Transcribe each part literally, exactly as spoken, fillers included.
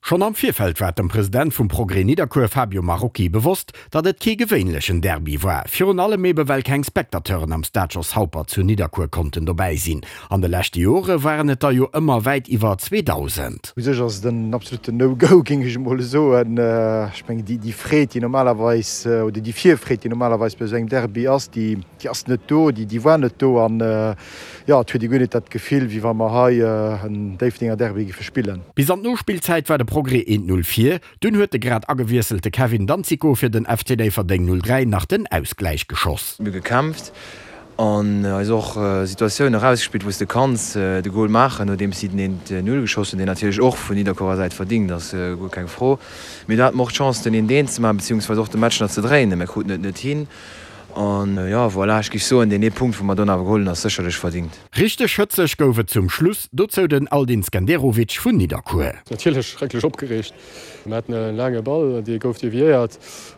Schonn am Virfeld war dem President vum Progrès Nidderkuer Fabio Marocchi bewosst, datt et kee gewéinlechen Derby war. Virun allem ebe well keng Spectateuren am Stade Jos Haupert zu Nidderkuer konnten dobäi sinn. An de leschte Jore waren et der jo ëmmer wäit iwwer zweedausend. U sech ass et en absoluten No-Go, géing ech emol soen. Ech mengen, déi Freed, déi normalerweis, oder déi Virfreed, déi normalerweis bei esou engem Derby ass, déi ass net do, déi war net do. An jo, et huet ee guer net dat Gefill, wéi wa mer hei en Déifferdenger Derby géife spillen. Bis an d'Nospillzäit war de Progrès eent Null vir, dunn huet de grad agewiesselte Kevin Danzico fir den F C Déifferdeng null dräi nach den Ausgläich geschoss. Mir hu gekämpft an eis och Situatiounen erausgespillt, wou s de kanns de Gol maachen, nodeems si den eent Null geschoss hunn, deen natierlech och vun Nidderkuerer Säit verdingt ass, guer keng Fro. Mee do hate mer och d'Chance, den eent eent ze maachen, beziehungsweise och de Match nach ze dréinen. Mir kruten et net hin. An jo, voilà, ech géif soen, deen ee Punkt, wou mer dunn awer geholl hunn, ass sécherlech verdingt. Richteg hëtzeg gouf et zum Schluss, dozou den Aldin Skenderovic vun Nidderkuer. Natierlech schrecklech opgereegt. Mir haten e laange Ball, dee gouf deviéiert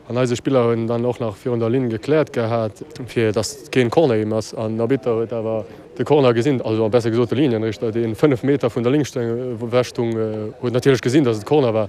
an eise Spiller hunn dann och nach virun der Linn gekläert gehat, fir datt keen Corner ginn ass. An den Arbitter huet awer de Corner gesinn, also besser gesot de Linienrichter, dee fënnef Meter vun der Linn ewech stung, huet natierlech gesinn, datt et Corner war.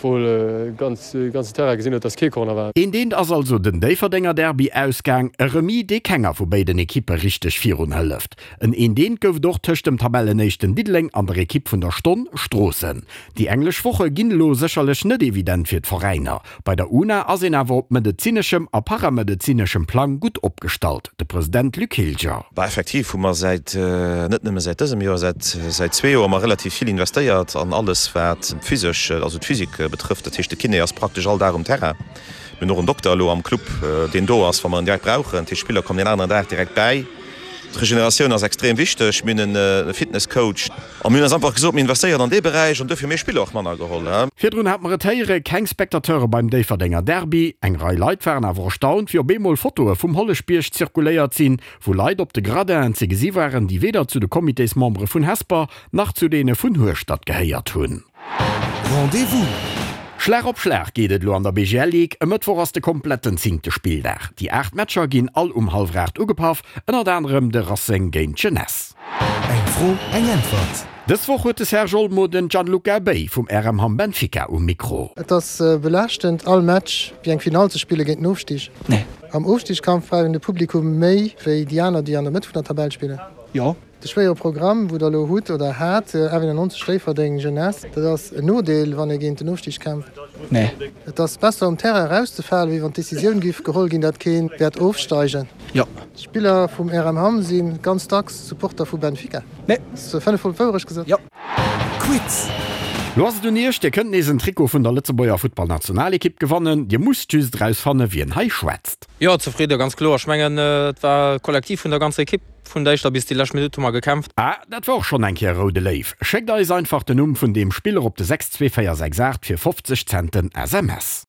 Obwuel de ganzen Terrain gesinn huet, dass kee Corner war. Eent eent ass also den Déifferdenger Derby ausgaang, e Remis, dee kenger vu béiden Ekippe richteg virun hëlleft. En eent eent gouf et och tëscht dem Tabellenéischten Diddeleng an der Ekipp vun der Stonn, Stroossen. Déi englesch Woche ginn elo sécherlech net evident fir d'Veräiner. Bei der UNA ass een awer op medezineschem a paramedezineschem Plang gutt opgestallt, de President Luc Hilger. Bah, effektiv hu mer säit, net nëmme säit dësem Joer, säit, säit zwee Joer hu mer relativ vill investéiert an alles wat physesch, also d'Physik betrëfft. Dat heescht, de Kiné ass praktesch all Dag um Terrain. Mir hunn och en Dokter elo am Club, deen do ass, wa mer en direkt brauchen. Dat heescht, d'Spiller kommen deen aneren Dag direkt bäi. D'Regeneratioun ass extrem wichteg. Mir hunn e Fitnesscoach. A mir hunn eis einfach gesot, mir investéieren an dee Beräich an duerfir hu mir Spiller och manner geholl. Virdrun hat mer et héiere, keng Spectateure beim Déifferdenger Derby. Eng Rei Leit waren awer erstaunt, wéi op eemol Fotoe vum Holleschbierg zirkuléiert sinn, wou Leit op de Gradinen ze gesi waren, déi weder zu de Comitésmembere vun Hesper nach zu deene vun Hueschtert gehéiert hunn. Rendez-vous! Schlag op Schlag geet et elo an der B G L Ligue. E Mëttwoch ass de kompletten zéngte Spilldag. Déi aacht Matcher ginn all um hallwer aacht ugepaff, ënnert anerem de Racing géint d'Jeunesse. Eng Fro, eng Äntwert. Dës Woch huet de Serge Olmo den Gianluca Bei vum R M Hamm Benfica um Mikro. Et ass belaaschtend, all Match wéi eng Finall ze spille géint den Ofstig. Nee. Am Ofstigskampf brauch een de Publikum méi wéi déi aner, déi an der Mëtt vun der Tabell spillen. Jo. De schwéiere Programm, wou Der elo hutt oder hat, F eenennonzeg Déifferdeng, Jeunesse, dat ass en Nodeel, wann ee géint den Ofstig kämpft. Nee. Et ass besser um Terrain erauszefalen, wéi wann d'Decisioun giff geholl ginn, datt kee wäert ofsteigen. Jo. D'Spiller vum R M Hamm si ganz dacks Supporter vu Benfica. Nee. Ass fënnef Mol d'Wourecht gesot? Jo. Quiz. Lo ass et un Iech, Dir kënnt nees en Trikot vun der Lëtzebuerger Futtballnationalekipp gewannen. Dir musst just erausfanne wien hei schwätzt. Jo, zefridde, ganz kloer. Ech mengen, et war kollektiv vun der ganzer Ekipp. Vun der éischter bis déi lescht Minutt hu mer gekämpft. Ah, dat war och schonn eng Kéier Roude Léiw. Schéckt eis einfach den Numm vun deem Spiller op de sechs zwee véier sechs aacht fir fofzeg Centen S M S.